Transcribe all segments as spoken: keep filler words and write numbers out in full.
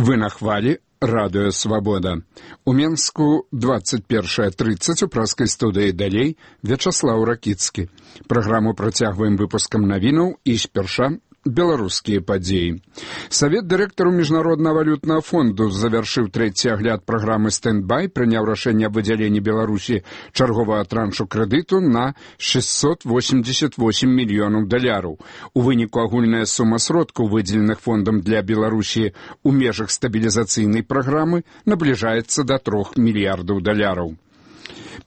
Вы на хвалі радыё «Свабода». У Менску двадцать першая тридцать у праскай студыі далей Вячаслаў Ракіцкі. Праграму працягваем выпускам навінаў і спярша беларускія падзеі. Савет дырэктару Міжнароднага валютнага фонду завяршыў трэці агляд праграмы «Стэндбай», прыняў рашэнне аб выдзяленні Беларусі чарговага траншу крэдыту на шестьсот восемьдесят восемь мільёнаў даляраў. У выніку агульная сума сродкаў, выдзеленых фондам для Беларусі ў межах стабілізацыйнай праграмы, набліжаецца да трох мільярдаў даляраў.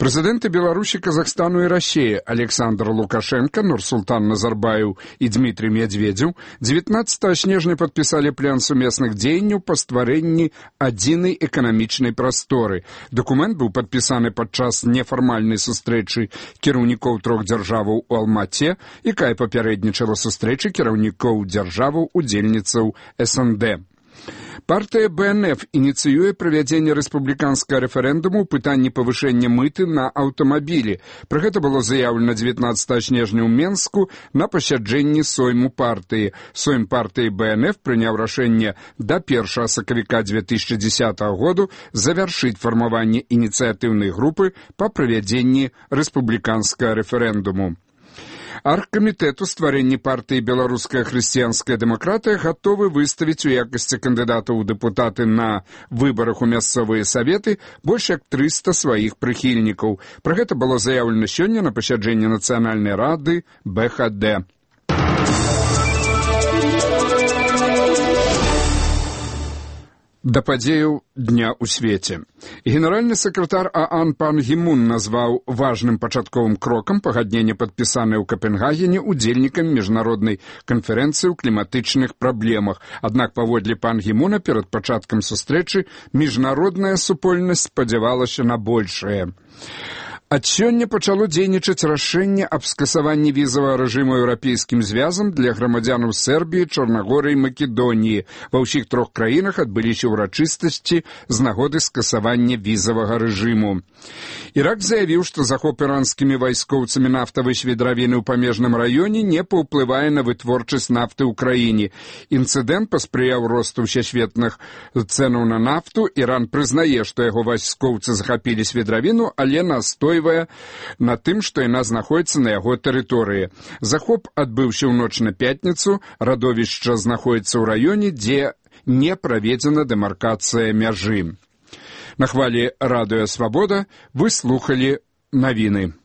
Прэзідэнты Беларусі, Казахстану і Расіі Александр Лукашенко, Нурсултан Назарбаев і Дмітрий Медведзеў дзевятнаццатага снежня падпісалі план сумесных дзеянняў па стварэнні адзінай эканамічнай прасторы. Дакумент быў падпісаны падчас нефармальнай сустрэчы кіраўнікоў трох дзяржаваў у Алмаце, якая папярэднічала сустрэчы кіраўнікоў дзяржаваў удзельніцаў эс эн дэ. Партыя бэ эн эф ініцыюе правядзенне рэспубліканскага рэферэндуму ў пытанні павышэння мыты на аўтамабілі. Пра гэта было заяўлена дзевятнаццатага снежня ў Менску на пасяджэнні сойму партыі. Сойм партыі бэ эн эф прыняў рашэнне да першага сакавіка дзве тысячы дзесятага году завяршыць фармаванне ініцыятыўнай групы па правядзенні рэспубліканскага рэферэндуму. Аргкамітэт у стварэнні партыі «Беларуская хрысціянская дэмакратыя» гатовы выставіць у якасці кандыдатаў у дэпутаты на выбарах у мясцовыя саветы больш як трыста сваіх прыхільнікаў. Пра гэта было заяўлена сёння на пасяджэнні Нацыянальнай рады бэ ха дэ. Да падзеяў дня ў свеце. Генеральны сакратар ААН пан Гі Мун назваў важным пачатковым крокам пагаднення, падпісанае ў Капенгагене удзельнікамі міжнароднай канферэнцыі ў кліматычных праблемах. Аднак, паводле пан Гі Муна, перад пачаткам сустрэчы міжнародная супольнасць спадзявалася на большае. Ад сёння пачало дзейнічаць рашэнне аб скасаванні візавага рэжыму еўрапейскім звязам для грамадзянаў Сербіі, Чорнагорыі і Македоніі. Ва ўсіх трох краінах адбыліся ўрачыстасці з нагоды скасавання візавага рэжыму. Ірак заявіў, што захоп іранскімі вайскоўцамі нафтавай свідравіны ў памежным раёне не паўплывае на вытворчасць нафты ў краіне. Інцыдэнт паспрыяў росту ўсесветных цэнаў на нафту. Іран прызнае, што яго вайскоўцы захапілі свідравіну, але настой на тым, што яна знаходзіцца на яго тэрыторыі. Захоп адбыўся ў ноч на пятніцу, радовішча знаходзіцца ў раёне, дзе не праведзена дэмаркацыя мяжы. На хвалі радыё «Свабода» вы слухалі навіны.